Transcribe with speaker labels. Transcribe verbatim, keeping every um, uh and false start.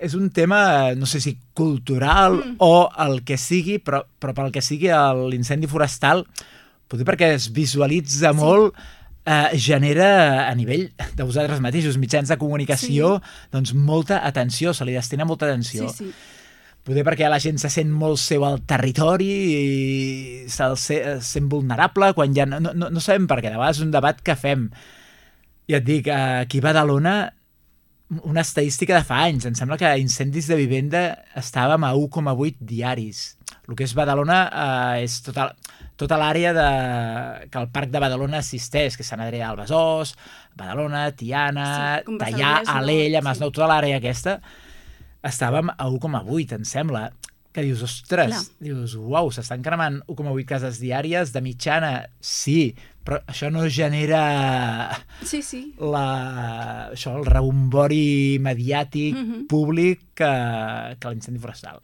Speaker 1: és un tema, no sé si cultural mm. o el que sigui, però, però pel que sigui l'incendi forestal, potser perquè es visualitza sí. molt, eh, genera a nivell de vosaltres mateixos, mitjans de comunicació, sí. doncs molta atenció, se li destina molta atenció. Sí, sí. Potser perquè la gent se sent molt seu al territori i se'l sent vulnerable, quan ja no, no, no sabem per què, de vegades és un debat que fem. Ja et dic, aquí a Badalona, una estadística de fa anys. Em sembla que incendis de vivenda estàvem a u coma vuit diaris. El que és Badalona eh, és tota, tota l'àrea de, que el Parc de Badalona assisteix, que és Sant Adrià del Besòs, Badalona, Tiana, sí, Teià, Alella, Masnou, sí. tota l'àrea aquesta, estàvem a u coma vuit, em sembla. Que dius, ostres, Clar. dius, uau, s'estan cremant u coma vuit cases diàries, de mitjana, sí, però això no genera
Speaker 2: sí, sí.
Speaker 1: La, això, el rebombori mediàtic mm-hmm. públic que, que l'incendi forestal.